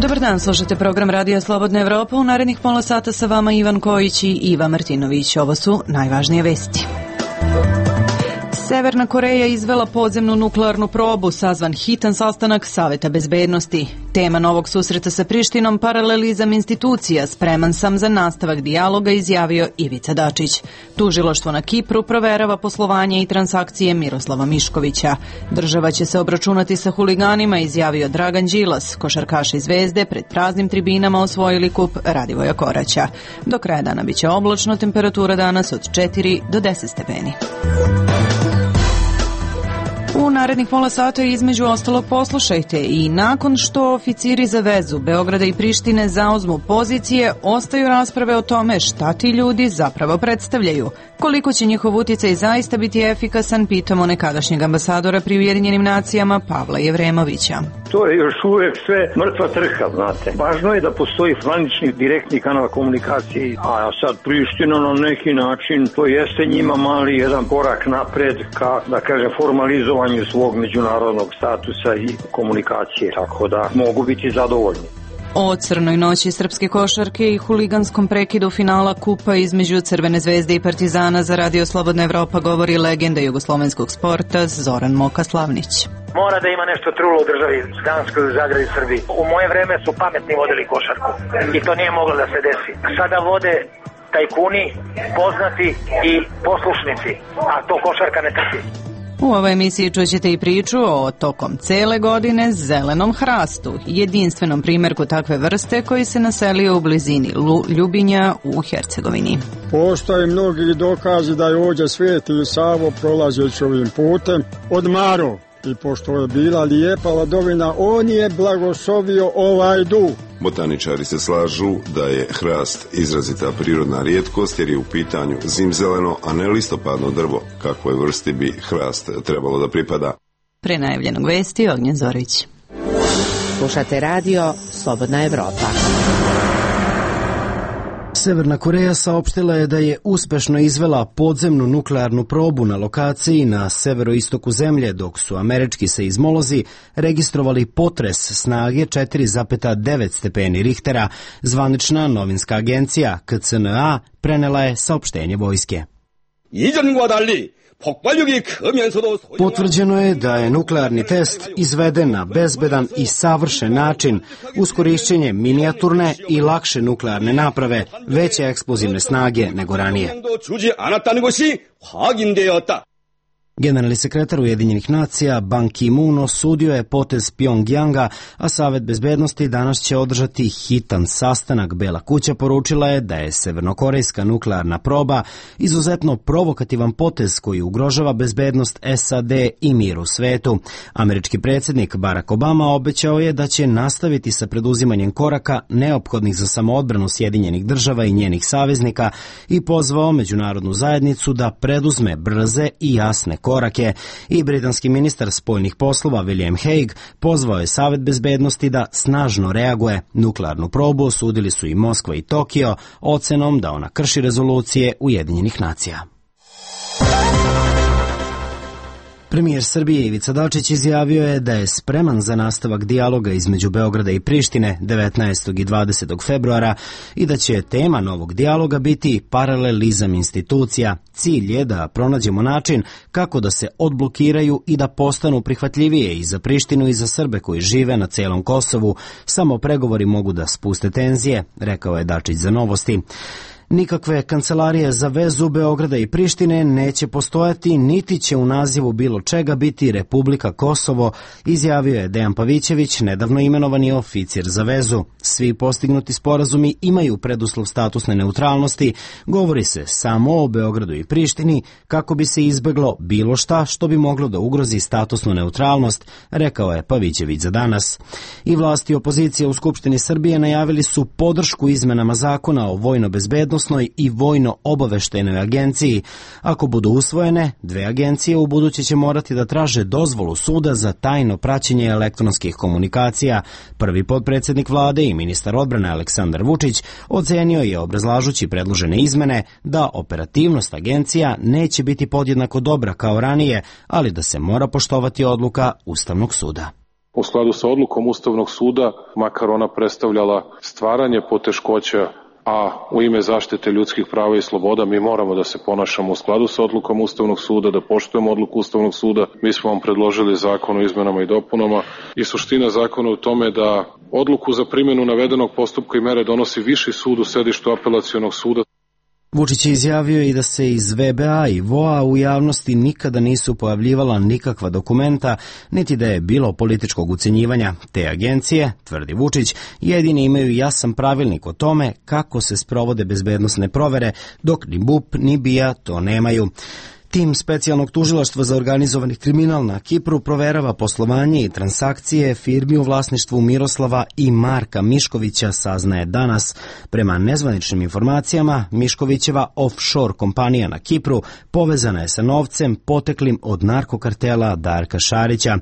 Dobar dan, slušate program Radija Slobodna Evropa. U narednih pola sata sa vama Ivan Kojić i Iva Martinović. Ovo su najvažnije vesti. Severna Koreja izvela podzemnu nuklearnu probu, sazvan hitan sastanak Saveta bezbednosti. Tema novog susreta sa Prištinom, paralelizam institucija, spreman sam za nastavak dijaloga, izjavio Ivica Dačić. Tužilaštvo na Kipru proverava poslovanje i transakcije Miroslava Miškovića. Država će se obračunati sa huliganima, izjavio Dragan Đilas. Košarkaši Zvezde pred praznim tribinama osvojili kup Radivoja Koraća. Do kraja dana biće oblačno, temperatura danas od 4 do 10 stepeni. U narednih pola sata između ostalog poslušajte i nakon što oficiri za vezu Beograda i Prištine zauzmu pozicije, ostaju rasprave o tome šta ti ljudi zapravo predstavljaju. Koliko će njihov utjecaj zaista biti efikasan, pitamo nekadašnjeg ambasadora pri Ujedinjenim nacijama Pavla Jevremovića. To je još uvijek sve mrtva trka, znate. Važno je da postoji zvanični direktni kanal komunikacije, a sad Priština na neki način, to jeste njima mali jedan korak napred ka, da kažem, formalizovanju svog međunarodnog statusa i komunikacije, tako da mogu biti zadovoljni. O crnoj noći srpske košarke i huliganskom prekidu finala kupa između Crvene zvezde i Partizana za Radio Slobodna Evropa govori legenda jugoslovenskog sporta Zoran Moka Slavnić. Mora da ima nešto trulo u državi Danskoj, u Zagradi, Srbiji. U moje vreme su pametni vodili košarku i to nije moglo da se desi. Sada vode tajkuni, poznati i poslušnici, a to košarka ne trpi. U ovoj emisiji čućete i priču o tokom cele godine zelenom hrastu, jedinstvenom primjerku takve vrste koji se naselio u blizini Ljubinja u Hercegovini. Postoje mnogi dokazi da je ovdje Sveti Savo prolazeći ovim putem odmarao i pošto je bila lijepa ladovina, on je blagoslovio ovaj duh. Botaničari se slažu da je hrast izrazita prirodna rijetkost jer je u pitanju zimzeleno, a ne listopadno drvo, kakvoj vrsti bi hrast trebalo da pripada. Pre najavljenog vesti Ognjen Zorić. Slušate radio Slobodna Evropa. Severna Koreja saopštila je da je uspešno izvela podzemnu nuklearnu probu na lokaciji na severoistoku zemlje, dok su američki seizmolozi registrovali potres snage 4,9 stepeni Richtera. Zvanična novinska agencija KCNA prenela je saopštenje vojske. Potvrđeno je da je nuklearni test izveden na bezbedan i savršen način uz korišćenje minijaturne i lakše nuklearne naprave, veće eksplozivne snage nego ranije. Generalni sekretar Ujedinjenih nacija Ban Ki-moon osudio je potez Pjongjanga, a Savet bezbednosti danas će održati hitan sastanak. Bela kuća poručila je da je severnokorejska nuklearna proba izuzetno provokativan potez koji ugrožava bezbednost SAD i mir u svetu. Američki predsjednik Barack Obama obećao je da će nastaviti sa preduzimanjem koraka neophodnih za samoodbranu Sjedinjenih država i njenih saveznika i pozvao međunarodnu zajednicu da preduzme brze i jasne korake. I britanski ministar spoljnih poslova William Hague pozvao je Savet bezbednosti da snažno reaguje. Nuklearnu probu osudili su i Moskva i Tokio ocenom da ona krši rezolucije Ujedinjenih nacija. Premijer Srbije Ivica Dačić izjavio je da je spreman za nastavak dijaloga između Beograda i Prištine 19. i 20. februara i da će tema novog dijaloga biti paralelizam institucija. Cilj je da pronađemo način kako da se odblokiraju i da postanu prihvatljivije i za Prištinu i za Srbe koji žive na celom Kosovu. Samo pregovori mogu da spuste tenzije, rekao je Dačić za Novosti. Nikakve kancelarije za vezu Beograda i Prištine neće postojati, niti će u nazivu bilo čega biti Republika Kosovo, izjavio je Dejan Pavićević, nedavno imenovani oficir za vezu. Svi postignuti sporazumi imaju preduslov statusne neutralnosti, govori se samo o Beogradu i Prištini kako bi se izbeglo bilo šta što bi moglo da ugrozi statusnu neutralnost, rekao je Pavićević za Danas. I vlasti i opozicija u Skupštini Srbije najavili su podršku izmenama zakona o vojno-bezbednosti i vojno-obaveštajnoj agenciji. Ako budu usvojene, dve agencije u buduće će morati da traže dozvolu suda za tajno praćenje elektronskih komunikacija. Prvi potpredsjednik vlade i ministar odbrane Aleksandar Vučić ocenio je, obrazlažući predložene izmene, da operativnost agencija neće biti podjednako dobra kao ranije, ali da se mora poštovati odluka Ustavnog suda. U skladu sa odlukom Ustavnog suda, makar ona predstavljala stvaranje poteškoća, a u ime zaštite ljudskih prava i sloboda mi moramo da se ponašamo u skladu sa odlukom Ustavnog suda, da poštujemo odluku Ustavnog suda. Mi smo vam predložili zakon o izmenama i dopunama i suština zakona u tome da odluku za primjenu navedenog postupka i mere donosi Viši sud u sedištu Apelacionog suda. Vučić je izjavio i da se iz VBA i VOA u javnosti nikada nisu pojavljivala nikakva dokumenta, niti da je bilo političkog ucenjivanja. Te agencije, tvrdi Vučić, jedini imaju jasan pravilnik o tome kako se sprovode bezbednosne provere, dok ni BUP ni BIA to nemaju. Tim specijalnog tužilaštva za organizovani kriminal na Kipru proverava poslovanje i transakcije firmi u vlasništvu Miroslava i Marka Miškovića, saznaje danas. Prema nezvaničnim informacijama, Miškovićeva offshore kompanija na Kipru povezana je sa novcem poteklim od narkokartela Darka Šarića.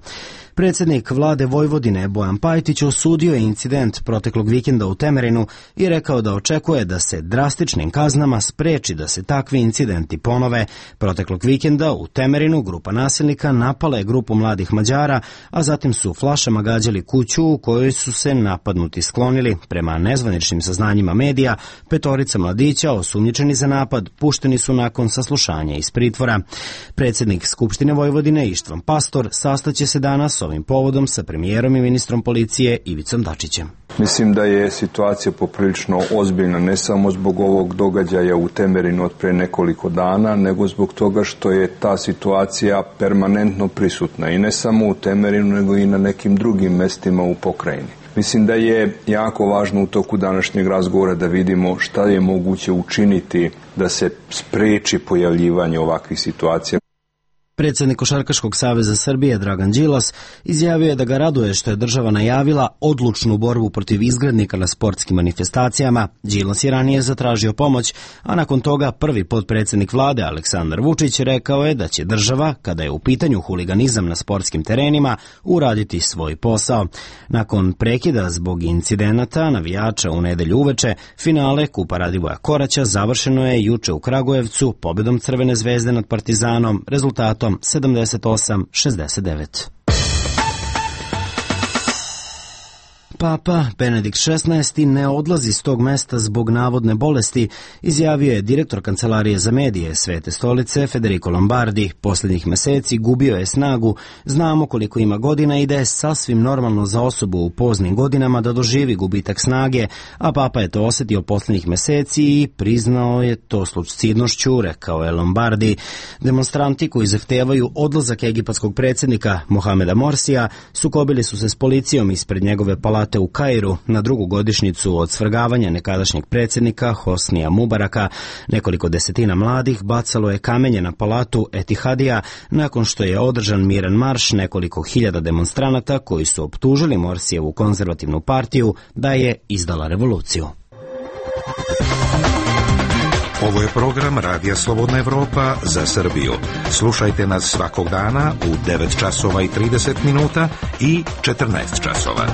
Predsjednik vlade Vojvodine Bojan Pajtić osudio je incident proteklog vikenda u Temerinu i rekao da očekuje da se drastičnim kaznama spreči da se takvi incidenti ponove. Proteklog vikenda u Temerinu grupa nasilnika napala je grupu mladih Mađara, a zatim su flašama gađali kuću u kojoj su se napadnuti sklonili. Prema nezvaničnim saznanjima medija, 5 mladića osumnjičeni za napad pušteni su nakon saslušanja iz pritvora. Predsjednik Skupštine Vojvodine Ištvan Pastor sastaće se danas ovim povodom sa premijerom i ministrom policije Ivicom Dačićem. Mislim da je situacija poprilično ozbiljna, ne samo zbog ovog događaja u Temerinu od pre nekoliko dana, nego zbog toga što je ta situacija permanentno prisutna i ne samo u Temerinu, nego i na nekim drugim mestima u pokrajini. Mislim da je jako važno u toku današnjeg razgovora da vidimo šta je moguće učiniti da se spreči pojavljivanje ovakvih situacija. Predsjednik Košarkaškog saveza Srbije Dragan Đilas izjavio je da ga raduje što je država najavila odlučnu borbu protiv izgrednika na sportskim manifestacijama. Đilas je ranije zatražio pomoć, a nakon toga prvi potpredsjednik vlade Aleksandar Vučić rekao je da će država, kada je u pitanju huliganizam na sportskim terenima, uraditi svoj posao. Nakon prekida zbog incidenata navijača u nedelju uveče, finale Kupa Radivoja Koraća završeno je juče u Kragujevcu pobjedom Crvene zvezde nad Partizanom, rezultatom 78-69. Papa Benedikt XVI ne odlazi s tog mesta zbog navodne bolesti, izjavio je direktor Kancelarije za medije Svete stolice Federico Lombardi. Posljednjih meseci gubio je snagu, znamo koliko ima godina i da je sasvim normalno za osobu u poznim godinama da doživi gubitak snage, a Papa je to osjetio posljednjih meseci i priznao je to s lucidnošću, rekao je Lombardi. Demonstranti koji zahtevaju odlazak egipatskog predsjednika Mohameda Morsija sukobili su se s policijom ispred njegove palate u Kairu na drugu godišnjicu od svrgavanja nekadašnjeg predsjednika Hosnija Mubaraka. Nekoliko desetina mladih bacalo je kamenje na palatu Etihadija nakon što je održan miran marš nekoliko hiljada demonstranata koji su optužili Morsijevu konzervativnu partiju da je izdala revoluciju. Ovo je program Radija Slobodna Evropa za Srbiju. Slušajte nas svakog dana u 9 časova i 30 minuta i 14 časova.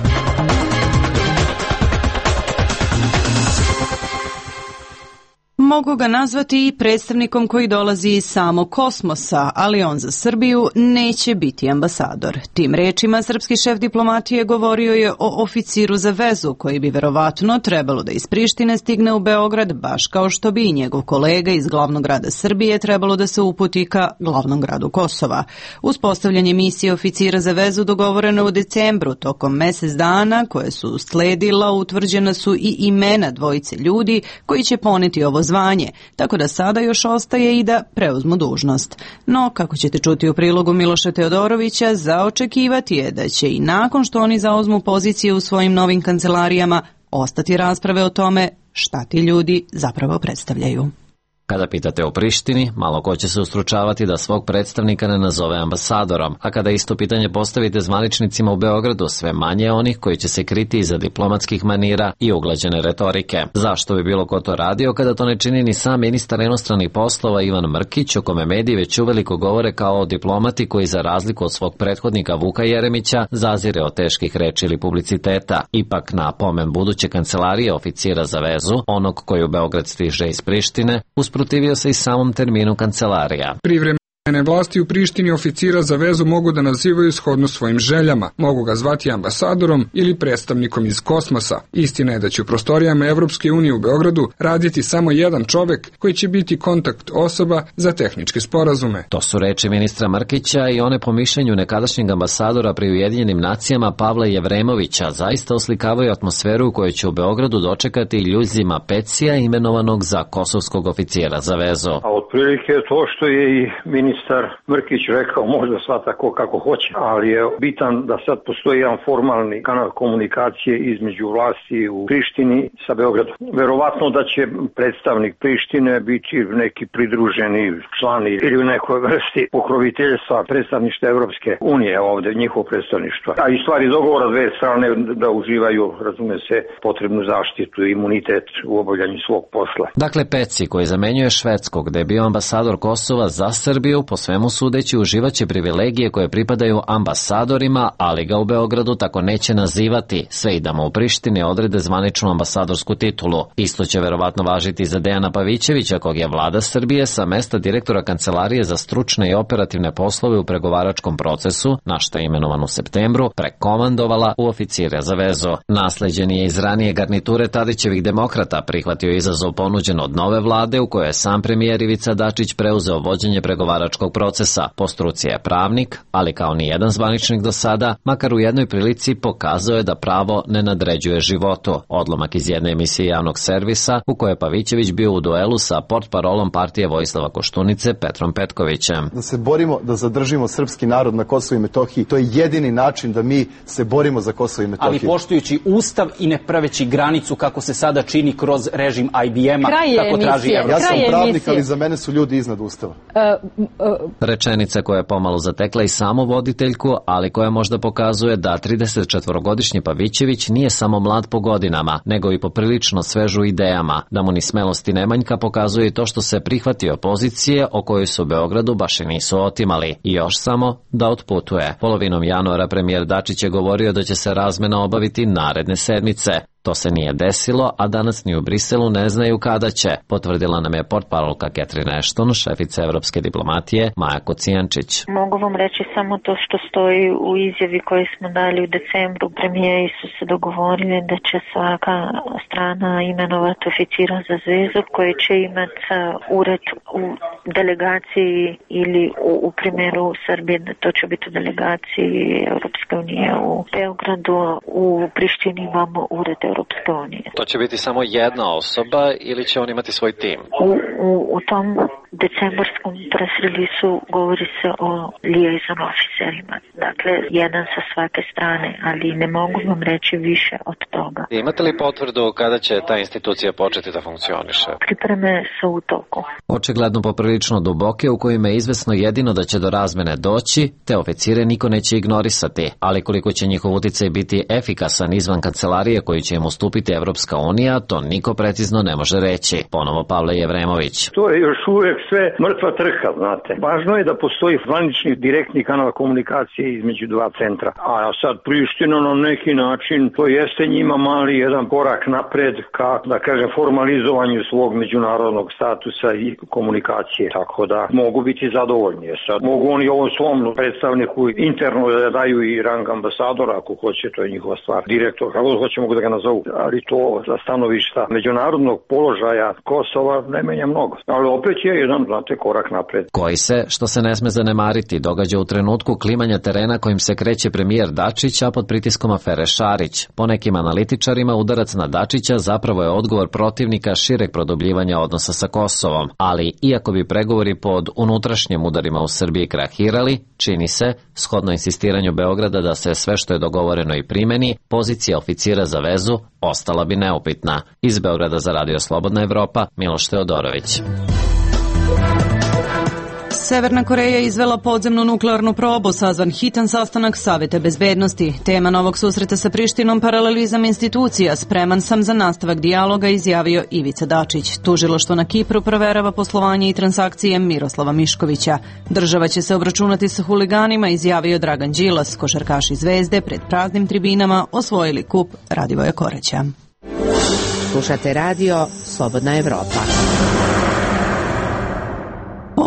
Mogu ga nazvati i predstavnikom koji dolazi iz samog kosmosa, ali on za Srbiju neće biti ambasador. Tim rečima srpski šef diplomatije govorio je o oficiru za vezu koji bi verovatno trebalo da iz Prištine stigne u Beograd, baš kao što bi i njegov kolega iz glavnog grada Srbije trebalo da se uputi ka glavnom gradu Kosova. Uspostavljanje misije oficira za vezu dogovoreno u decembru. Tokom mesec dana koje su usledila utvrđena su i imena dvojice ljudi koji će poneti ovo zvanje, tako da sada još ostaje i da preuzmu dužnost. No, kako ćete čuti u prilogu Miloša Teodorovića, za očekivati je da će i nakon što oni zauzmu pozicije u svojim novim kancelarijama ostati rasprave o tome šta ti ljudi zapravo predstavljaju. Kada pitate o Prištini, malo ko će se ustručavati da svog predstavnika ne nazove ambasadorom, a kada isto pitanje postavite zvaničnicima u Beogradu, sve manje onih koji će se kriti iza diplomatskih manira i uglađene retorike. Zašto bi bilo ko to radio kada to ne čini ni sam ministar inostranih poslova Ivan Mrkić, o kome mediji već uveliko govore kao o diplomati koji za razliku od svog prethodnika Vuka Jeremića zazire od teških reči ili publiciteta. Ipak na pomen buduće kancelarije oficira za vezu, onog koji u Beograd stiže iz Prištine, usprotivio se i samom terminu kancelarija. Vlasti u Prištini oficira za vezu mogu da nazivaju shodno svojim željama. Mogu ga zvati ambasadorom ili predstavnikom iz kosmosa. Istina je da će u prostorijama Evropske unije u Beogradu raditi samo jedan čovek koji će biti kontakt osoba za tehničke sporazume. To su reči ministra Mrkića i one po mišljenju nekadašnjeg ambasadora pri Ujedinjenim nacijama Pavla Jevremovića zaista oslikavaju atmosferu u kojoj će u Beogradu dočekati Ljuzima Pecija imenovanog za kosovskog oficijera za vezu. A otprilike to što je i ministar Mrkić rekao, možda sva tako kako hoće, ali je bitan da sad postoji jedan formalni kanal komunikacije između vlasti u Prištini sa Beogradom. Verovatno da će predstavnik Prištine biti neki pridruženi član ili u nekoj vrsti pokroviteljstva predstavništva Evropske unije ovde, njihovo predstavništvo. A i stvari dogovora dve strane da uživaju, razume se, potrebnu zaštitu i imunitet u obavljanju svog posla. Dakle, Peci, koji zamenjuje švedskog, gde je bio ambasador Kosova za Srbiju, po svemu sudeći uživaće privilegije koje pripadaju ambasadorima, ali ga u Beogradu tako neće nazivati, sve i da mu u Prištini odrede zvaničnu ambasadorsku titulu. Isto će verovatno važiti za Dejana Pavićevića, kog je vlada Srbije sa mesta direktora Kancelarije za stručne i operativne poslove u pregovaračkom procesu, na šta je imenovan u septembru, prekomandovala u oficire za vezu. Nasleđen je iz ranije garniture Tadićevih demokrata, prihvatio izazov ponuđen od nove vlade u kojoj je sam premijer Ivica Dačić preuzeo vođenje pregovaračkog procesa. Po struci je pravnik, ali kao ni jedan zvaničnik do sada, makar u jednoj prilici pokazao je da pravo ne nadređuje životu. Odlomak iz jedne emisije javnog servisa u kojoj je Pavićević bio u duelu sa portparolom partije Vojislava Koštunice Petrom Petkovićem. Da se borimo da zadržimo srpski narod na Kosovu i Metohiji, to je jedini način da mi se borimo za Kosovo i Metohiju. Ali poštujući ustav i ne praveći granicu kako se sada čini kroz režim IBM-a, tako traži Evropa. Ja sam pravnik, ali za mene su ljudi iznad ustava. Rečenica koja je pomalo zatekla i samu voditeljku, ali koja možda pokazuje da 34-godišnji Pavićević nije samo mlad po godinama, nego i poprilično svežu idejama. Da mu ni smelosti ne manjka pokazuje i to što se prihvatio pozicije o kojoj su u Beogradu baš i nisu otimali. I još samo da otputuje. Polovinom januara premijer Dačić je govorio da će se razmena obaviti naredne sedmice. To se nije desilo, a danas ni u Briselu ne znaju kada će, potvrdila nam je portparolka Catherine Ashton, šefica evropske diplomatije Maja Kocijančić. Mogu vam reći samo to što stoji u izjavi koju smo dali u decembru. Premijeri su se dogovorili da će svaka strana imenovati oficira za zvezu koji će imati ured u delegaciji ili u primjeru Srbije, to će biti u delegaciji Europske unije u Beogradu, u Prištini imamo ured Europske unije. To će biti samo jedna osoba ili će on imati svoj tim? U tom decembarskom press release-u govori se o liaison oficerima. Dakle, jedan sa svake strane, ali ne mogu vam reći više od toga. Imate li potvrdu kada će ta institucija početi da funkcioniše? Pripreme su u toku. Očigledno poprilično duboke, u kojima je izvesno jedino da će do razmene doći, te oficire niko neće ignorisati, ali koliko će njihov uticaj biti efikasan izvan kancelarije koju će im ustupiti Evropska unija, to niko precizno ne može reći. Ponovo Pavle Jevremović. To je još uvek sve mrtva trka, znate. Važno je da postoji zvanični direktni kanal komunikacije između dva centra. A sad Priština na neki način, to jeste njima mali jedan korak napred ka, da kažem, formalizovanju svog međunarodnog statusa i komunikacije. Tako da mogu biti zadovoljni. Sad mogu oni ovom svom predstavniku interno da daju i rang ambasadora, ako hoće, to je njihova stvar. Direktor, kako hoće, mogu da ga nazovu. Ali to za stanovišta međunarodnog položaja Kosova ne menja mnogo. Ali opet je jedan, znate, korak napred. Koji se, što se ne sme zanemariti, događa u trenutku klimanja terena kojim se kreće premijer Dačić, a pod pritiskom afere Šarić. Po nekim analitičarima udarac na Dačića zapravo je odgovor protivnika šireg produbljivanja odnosa sa Kosovom. Ali, iako bi pregovori pod unutrašnjim udarima u Srbiji krahirali, čini se, shodno insistiranju Beograda da se sve što je dogovoreno i primeni, pozicija oficira za vezu ostala bi neupitna. Iz Beograda za Radio Slobodna Evropa, Miloš Teodorović. Severna Koreja izvela podzemnu nuklearnu probu, sazvan hitan sastanak Saveta bezbednosti. Tema novog susreta sa Prištinom paralelizam institucija, spreman sam za nastavak dijaloga, izjavio Ivica Dačić. Tužilaštvo na Kipru proverava poslovanje i transakcije Miroslava Miškovića. Država će se obračunati sa huliganima, izjavio Dragan Đilas. Košarkaši Zvezde pred praznim tribinama osvojili kup Radivoja Koreća. Slušate radio Slobodna Evropa.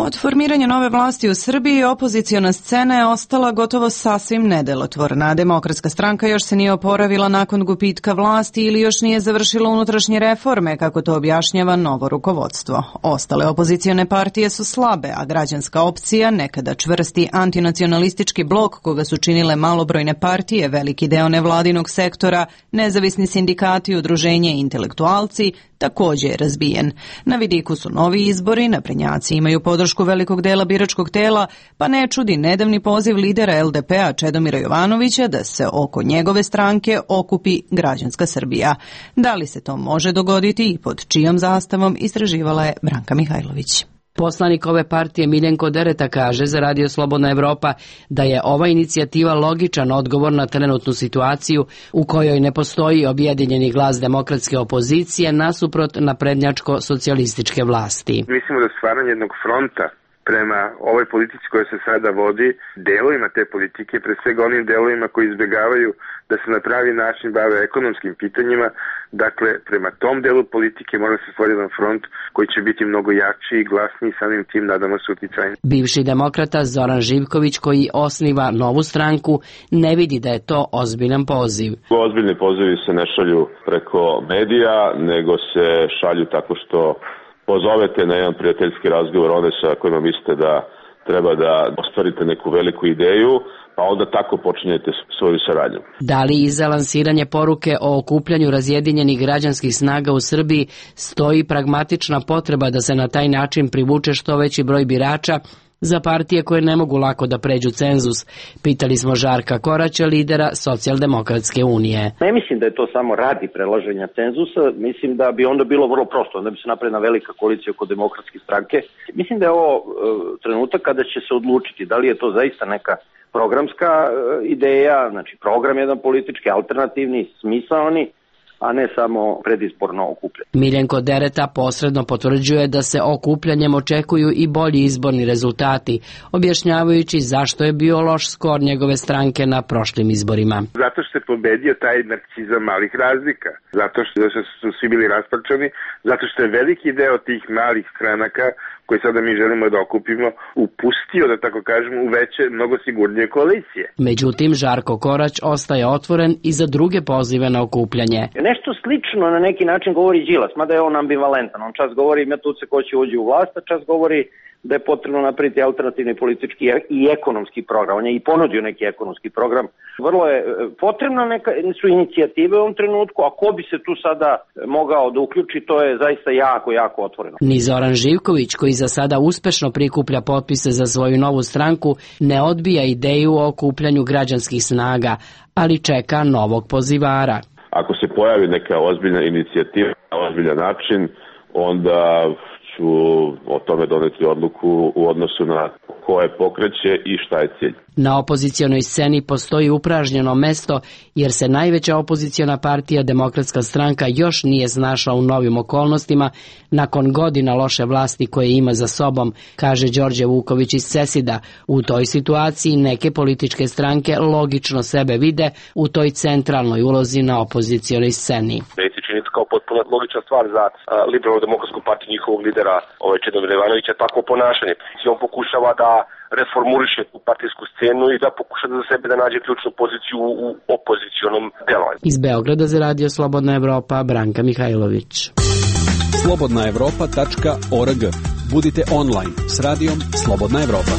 Od formiranja nove vlasti u Srbiji opoziciona scena je ostala gotovo sasvim nedelotvorna. Demokratska stranka još se nije oporavila nakon gubitka vlasti ili još nije završila unutrašnje reforme, kako to objašnjava novo rukovodstvo. Ostale opozicione partije su slabe, a građanska opcija, nekada čvrsti antinacionalistički blok koga su činile malobrojne partije, veliki deo nevladinog sektora, nezavisni sindikati, udruženje i intelektualci, također je razbijen. Na vidiku su novi izbori, naprednjaci imaju podršku velikog dela biračkog tela, pa ne čudi nedavni poziv lidera LDP-a Čedomira Jovanovića da se oko njegove stranke okupi građanska Srbija. Da li se to može dogoditi i pod čijom zastavom, istraživala je Branka Mihajlović. Poslanik ove partije Miljenko Dereta kaže za Radio Slobodna Evropa da je ova inicijativa logičan odgovor na trenutnu situaciju u kojoj ne postoji objedinjeni glas demokratske opozicije nasuprot naprednjačko-socijalističke vlasti. Mislimo da stvaranje jednog fronta prema ovoj politici koja se sada vodi, delovima te politike, pre svega onim delovima koji izbjegavaju da se na pravi način bave ekonomskim pitanjima, dakle, prema tom delu politike mora se stvoriti jedan front koji će biti mnogo jači i glasniji, samim tim nadamo se uticajni. Bivši demokrata Zoran Živković, koji osniva novu stranku, ne vidi da je to ozbiljan poziv. Ozbiljni pozivi se ne šalju preko medija, nego se šalju tako što pozovete na jedan prijateljski razgovor one sa kojima mislite da treba da ostvarite neku veliku ideju, pa onda tako počinjete svoju saradnju. Da li iza lansiranje poruke o okupljanju razjedinjenih građanskih snaga u Srbiji stoji pragmatična potreba da se na taj način privuče što veći broj birača za partije koje ne mogu lako da pređu cenzus? Pitali smo Žarka Koraća, lidera Socijaldemokratske unije. Ne mislim da je to samo radi prelaženja cenzusa, mislim da bi onda bilo vrlo prosto, onda bi se napravila velika koalicija oko demokratske stranke. Mislim da je ovo trenutak kada će se odlučiti da li je to zaista neka programska ideja, znači program jedan politički, alternativni, smisaoni, a ne samo predizborno okupljanje. Miljenko Dereta posredno potvrđuje da se okupljanjem očekuju i bolji izborni rezultati, objašnjavajući zašto je bio loš skor njegove stranke na prošlim izborima. Zato što je pobedio taj narcizam malih razlika, zato što su svi bili rasparčani, zato što je veliki deo tih malih stranaka koje sada mi želimo da okupimo, upustio, da tako kažemo, u veće, mnogo sigurnije koalicije. Međutim, Žarko Korać ostaje otvoren i za druge pozive na okupljanje. Nešto slično na neki način govori Đilas, mada je on ambivalentan. On čas govori ima tu se ko će uđi u vlast, a čas govori da je potrebno napraviti alternativni politički i ekonomski program. On je i ponudio neki ekonomski program. Vrlo je potrebna su inicijative u ovom trenutku, a ko bi se tu sada mogao da uključi, to je zaista jako otvoreno. Ni Zoran Živković, koji za sada uspešno prikuplja potpise za svoju novu stranku, ne odbija ideju o okupljanju građanskih snaga, ali čeka novog pozivara. Ako se pojavi neka ozbiljna inicijativa na ozbiljan način, onda ću o tome doneti odluku u odnosu na ko je pokreće i šta je cilj. Na opozicionoj sceni postoji upražnjeno mesto jer se najveća opoziciona partija Demokratska stranka još nije snašla u novim okolnostima nakon godina loše vlasti koje ima za sobom, kaže Đorđe Vuković iz Cesida. U toj situaciji neke političke stranke logično sebe vide u toj centralnoj ulozi na opozicionoj sceni. Kao potpuno logična stvar za Liberalno-demokratsku partiju njihovog lidera Čedomira Jovanovića takvo ponašanje. On pokušava da reformuriše tu partijsku scenu i da pokuša da za sebe da nađe ključnu poziciju u opozicionom delovanju. Iz Beograda za Radio Slobodna Evropa, Branka Mihajlović. slobodnaevropa.org. Budite online s radijom Slobodna Evropa.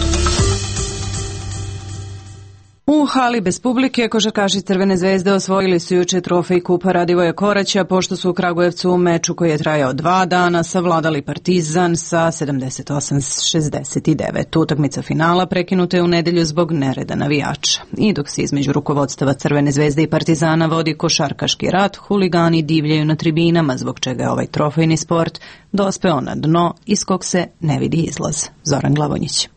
U hali bez publike košarkaši Crvene zvezde osvojili su juče trofej kupa Radivoja Koraća pošto su u Kragujevcu u meču koji je trajao 2 dana savladali Partizan sa 78-69. Utakmica finala prekinuta je u nedelju zbog nereda navijača. I dok se između rukovodstava Crvene zvezde i Partizana vodi košarkaški rat, huligani divljaju na tribinama, zbog čega je ovaj trofejni sport dospeo na dno iz kog se ne vidi izlaz. Zoran Glavonjić.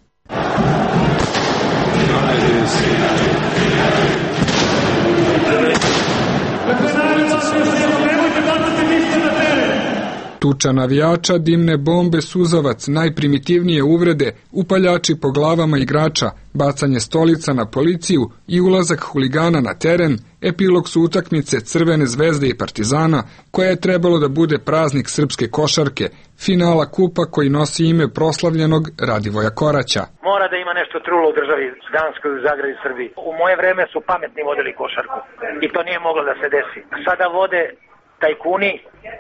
Tuča navijača, dimne bombe, suzavac, najprimitivnije uvrede, upaljači po glavama igrača, bacanje stolica na policiju i ulazak huligana na teren, epilog su utakmice Crvene zvezde i Partizana, koja je trebalo da bude praznik srpske košarke, finala kupa koji nosi ime proslavljenog Radivoja Koraća. Mora da ima nešto trulo u državi Danskoj, u Zagradi, Srbiji. U moje vreme su pametni vodili košarku i to nije moglo da se desi. Sada vode tajkuni,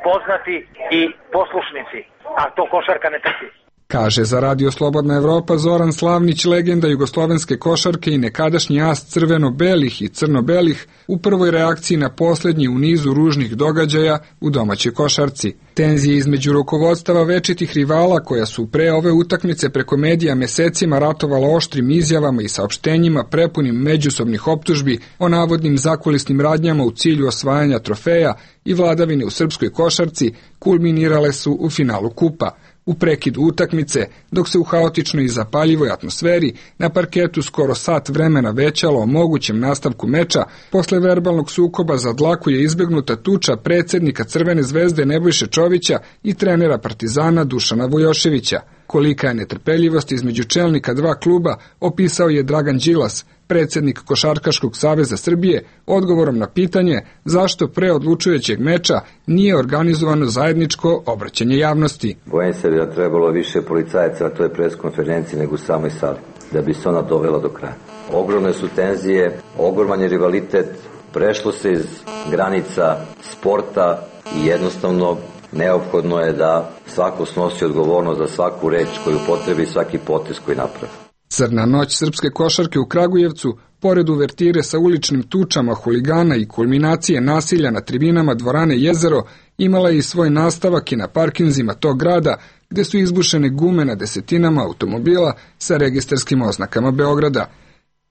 poznati i poslušnici, a to košarka ne trpi. Kaže za Radio Slobodna Evropa Zoran Slavnić, legenda jugoslovenske košarke i nekadašnji as crveno-belih i crno-belih, u prvoj reakciji na posljednji u nizu ružnih događaja u domaćoj košarci. Tenzije između rukovodstava večitih rivala, koja su pre ove utakmice preko medija mesecima ratovala oštrim izjavama i saopštenjima prepunim međusobnih optužbi o navodnim zakulisnim radnjama u cilju osvajanja trofeja i vladavine u srpskoj košarci, kulminirale su u finalu kupa. U prekidu utakmice, dok se u haotičnoj i zapaljivoj atmosferi na parketu skoro sat vremena većalo o mogućem nastavku meča, posle verbalnog sukoba za dlaku je izbegnuta tuča predsjednika Crvene zvezde Nebojše Čovića i trenera Partizana Dušana Vujoševića. Kolika je netrpeljivost između čelnika dva kluba opisao je Dragan Đilas, predsjednik Košarkaškog saveza Srbije, odgovorom na pitanje zašto pre odlučujućeg meča nije organizovano zajedničko obraćanje javnosti. Bojim se da trebalo više policajaca na toj preskonferenciji nego u samoj sali, da bi se ona dovela do kraja. Ogromne su tenzije, ogroman je rivalitet, prešlo se iz granica sporta i jednostavno neophodno je da svako snosi odgovornost za svaku reč koju potrebi i svaki potez koji napravi. Crna noć srpske košarke u Kragujevcu, pored uvertire sa uličnim tučama huligana i kulminacije nasilja na tribinama dvorane Jezero, imala je i svoj nastavak i na parkinzima tog grada, gde su izbušene gume na desetinama automobila sa registarskim oznakama Beograda.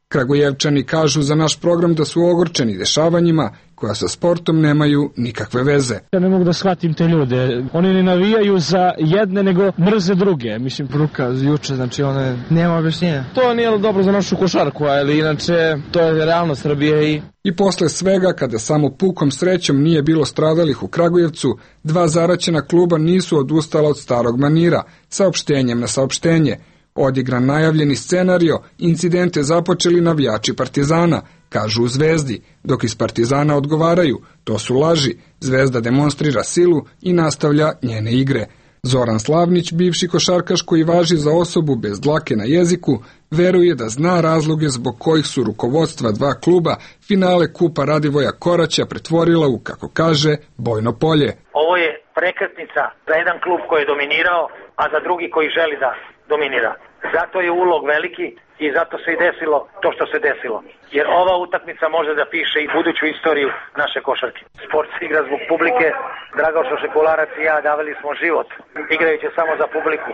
Kragujevčani kažu za naš program da su ogorčeni dešavanjima koja sa sportom nemaju nikakve veze. Ja ne mogu da shvatim te ljude. Oni ne navijaju za jedne, nego mrze druge. Mislim, poruka juče, znači nema objašnjenja. To nije dobro za našu košarku, ali inače to je realnost Srbije. I posle svega, kada samo pukom srećom nije bilo stradalih u Kragujevcu, dva zaraćena kluba nisu odustala od starog manira, saopštenjem na saopštenje. Odigran najavljeni scenario, incidente započeli navijači Partizana, kažu u Zvezdi, dok iz Partizana odgovaraju, to su laži, Zvezda demonstrira silu i nastavlja njene igre. Zoran Slavnić, bivši košarkaš koji važi za osobu bez dlake na jeziku, veruje da zna razloge zbog kojih su rukovodstva dva kluba finale kupa Radivoja Koraća pretvorila u, kako kaže, bojno polje. Ovo je prekretnica za jedan klub koji je dominirao, a za drugi koji želi da dominira. Zato je ulog veliki i zato se i desilo to što se desilo. Jer ova utakmica može da piše i buduću istoriju naše košarke. Sport se igra zbog publike. Dragošo Šekularac i ja davali smo život, igrajući samo za publiku.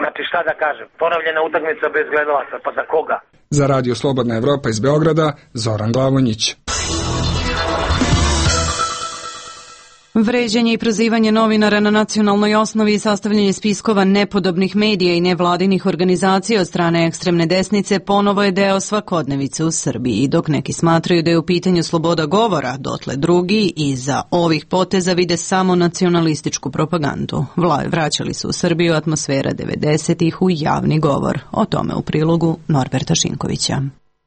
Znači šta da kažem, ponovljena utakmica bez gledalaca, pa za koga? Za Radio Slobodna Evropa iz Beograda, Zoran Glavonjić. Vređanje i prozivanje novinara na nacionalnoj osnovi i sastavljanje spiskova nepodobnih medija i nevladinih organizacija od strane ekstremne desnice ponovo je deo svakodnevice u Srbiji. Dok neki smatraju da je u pitanju sloboda govora, dotle drugi iza ovih poteza vide samo nacionalističku propagandu. Vraćali su u Srbiju atmosfera 90-ih u javni govor. O tome u prilogu Norberta Šinkovića.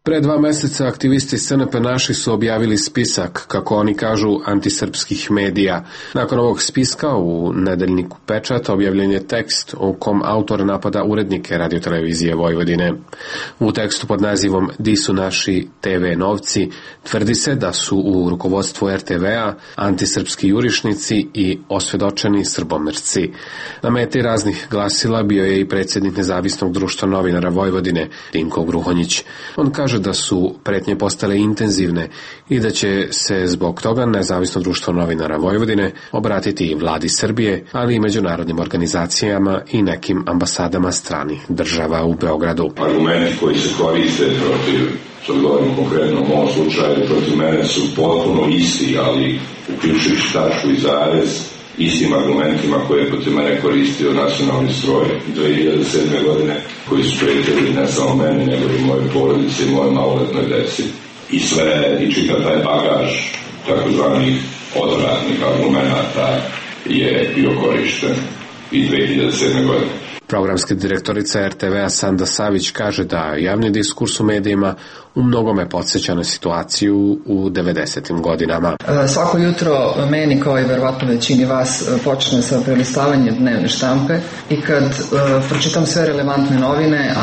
Pre 2 meseca aktivisti SNP Naši su objavili spisak, kako oni kažu, antisrpskih medija. Nakon ovog spiska u nedeljniku Pečat objavljen je tekst u kom autor napada urednike Radiotelevizije Vojvodine. U tekstu pod nazivom Di su naši TV novci tvrdi se da su u rukovodstvu RTV-a antisrpski jurišnici i osvedočeni srbomrci. Na meti raznih glasila bio je i predsjednik Nezavisnog društva novinara Vojvodine, Dinko Gruhonjić. On kaže da su pretnje postale intenzivne i da će se zbog toga Nezavisno društvo novinara Vojvodine obratiti i vladi Srbije, ali i međunarodnim organizacijama i nekim ambasadama stranih država u Beogradu. Argumenti koji se koriste protiv, što govorim konkretno u ovom slučaju, protiv mene su potpuno isti, ali uključujući tačku i zarez, istim argumentima koje je protiv mene koristio nacionalni stroj 2007. godine, koji su prijetili ne samo meni, nego i moje porodice i moje maloletnoj deci. I sve, i čitav taj bagaž takozvanih odvratnih argumenta je bio korišten i 2007. godine. Programska direktorica RTV-a Sanda Savić kaže da javni diskurs u medijima u mnogome podsjeća na situaciju u 90. godinama. Svako jutro meni, kao i verovatno većini vas, počne sa prelistavanjem dnevne štampe i kad pročitam sve relevantne novine,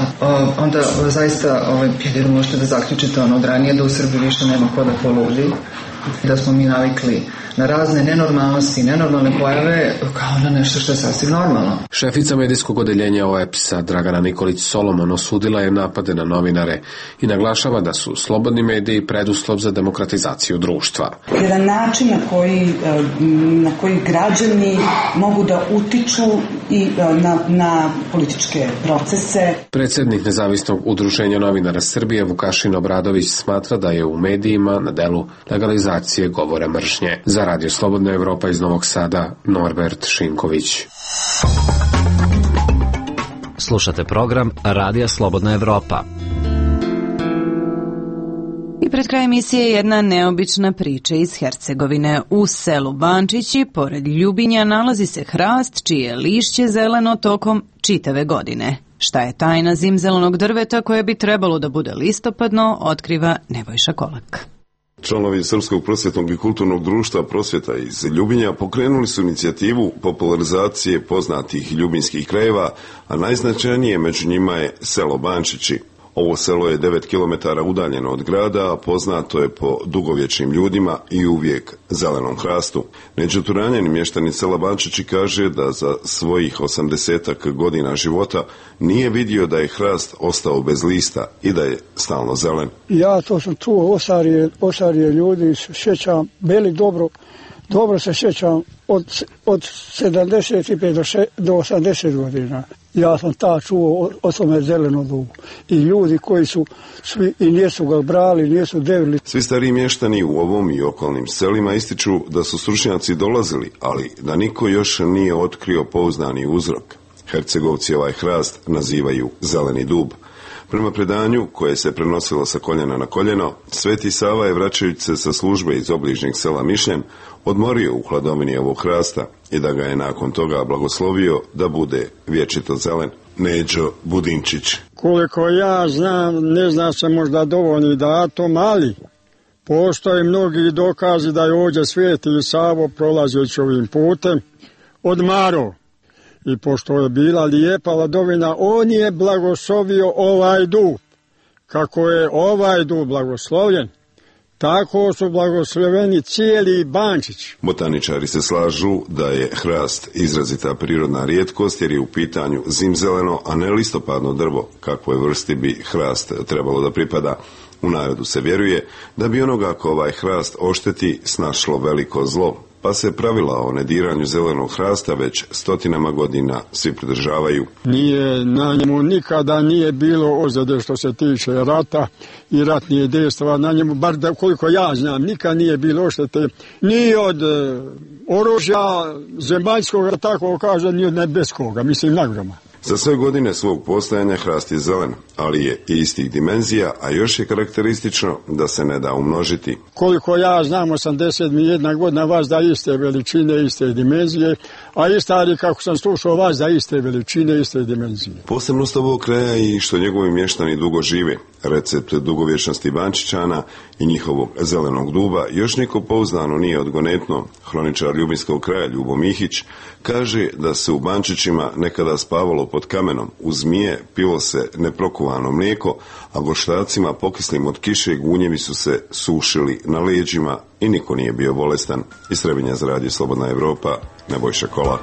onda zaista jedino možete da zaključite od ranije da u Srbiji više nema ko da poludi, da smo mi navikli na razne nenormalnosti, nenormalne pojave kao na nešto što je sasvim normalno. Šefica medijskog odeljenja OEPS-a Dragana Nikolić-Solomon osudila je napade na novinare i naglašava da su slobodni mediji preduslov za demokratizaciju društva. Jedan način na koji građani mogu da utiču i na političke procese. Predsednik Nezavisnog udruženja novinara Srbije Vukašin Obradović smatra da je u medijima na delu legalizacije govora mržnje. Za Radio Slobodna Evropa iz Novog Sada, Norbert Šinković. Slušate program Radija Slobodna Evropa. I pred kraj emisije jedna neobična priča iz Hercegovine. U selu Bančići, pored Ljubinja, nalazi se hrast čije je lišće zeleno tokom čitave godine. Šta je tajna zimzelenog drveta koje bi trebalo da bude listopadno, otkriva Nebojša Kolak. Članovi Srpskog prosvjetnog i kulturnog društva Prosvjeta iz Ljubinja pokrenuli su inicijativu popularizacije poznatih ljubinskih krajeva, a najznačajnije među njima je selo Bančići. Ovo selo je 9 km udaljeno od grada, a poznato je po dugovječnim ljudima i uvijek zelenom hrastu. Neđuturanjeni mještani sela Bančići kaže da za svojih 80 godina života nije vidio da je hrast ostao bez lista i da je stalno zelen. Ja to sam čuo, osarije ljudi, sjećam, bili dobro se sjećam od 75 do 80 godina. Ja sam čuo o tome zeleno dugu. I ljudi koji su svi i nisu ga brali, nisu devili. Svi stariji mještani u ovom i okolnim selima ističu da su stručnjaci dolazili, ali da niko još nije otkrio pouzdani uzrok. Hercegovci ovaj hrast nazivaju zeleni dub. Prema predanju, koje se prenosilo sa koljena na koljeno, Sveti Sava je, vraćajući se sa službe iz obližnjeg sela Mišljen, odmorio u hladovini ovog hrasta i da ga je nakon toga blagoslovio da bude vječito zelen. Neđo Budinčić. Koliko ja znam, ne zna se možda dovoljni datum, ali postoje mnogi dokazi da je ovdje Sveti Savo prolazeći ovim putem odmarao. I pošto je bila lijepa hladovina, on je blagoslovio ovaj dub. Kako je ovaj dub blagoslovljen, tako su blagosloveni cijeli Bančić. Botaničari se slažu da je hrast izrazita prirodna rijetkost jer je u pitanju zimzeleno, a ne listopadno drvo, kakvoj vrsti bi hrast trebalo da pripada. U narodu se vjeruje da bi onoga ko ovaj hrast ošteti snašlo veliko zlo, pa se pravila o nediranju zelenog hrasta već stotinama godina svi pridržavaju. Na njemu nikada nije bilo ozljede što se tiče rata i ratnih dejstava. Na njemu, bar da koliko ja znam, nikad nije bilo oštete ni od oružja zemaljskog, tako kaže, ni od nebeskoga, mislim nagroma. Za sve godine svog postojanja hrast je zelen, ali je istih dimenzija, a još je karakteristično da se ne da umnožiti. Koliko ja znam, 81 godina vazda iste veličine, iste dimenzije, a i stari, kako sam slušao, vazda iste veličine, iste dimenzije. Posebnost ovog kraja i što njegovi mještani dugo žive. Recept dugovječnosti Bančićana i njihovog zelenog duba još niko pouzdano nije odgonetno. Hroničar Ljubinskog kraja Ljubo Mihić kaže da se u Bančićima nekada spavalo pod kamenom, uz zmije pilo se neprokuvano mlijeko, a gorštacima pokislim od kiše gunjevi su se sušili na leđima i niko nije bio bolestan. Iz Trebinja za Radio Slobodna Evropa, Nebojša Kolak.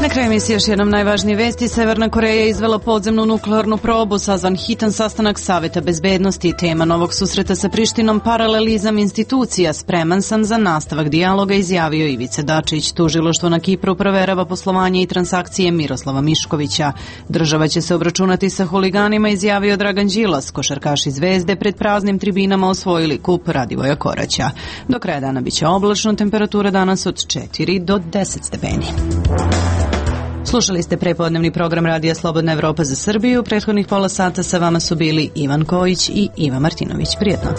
Na kraju emisije još jednom najvažnije vesti. Severna Koreja je izvela podzemnu nuklearnu probu, sazvan hitan sastanak Saveta bezbednosti. Tema novog susreta sa Prištinom, paralelizam institucija. Spreman sam za nastavak dijaloga, izjavio Ivica Dačić. Tužilaštvo na Kipru proverava poslovanje i transakcije Miroslava Miškovića. Država će se obračunati sa huliganima, izjavio Dragan Đilas. Košarkaši Zvezde pred praznim tribinama osvojili kup Radivoja Koraća. Do kraja dana biće oblačno, temperatura danas od 4 do 10 stepeni. Slušali ste prepodnevni program Radija Slobodna Evropa za Srbiju. Prethodnih pola sata sa vama su bili Ivan Kojić i Iva Martinović. Prijetno.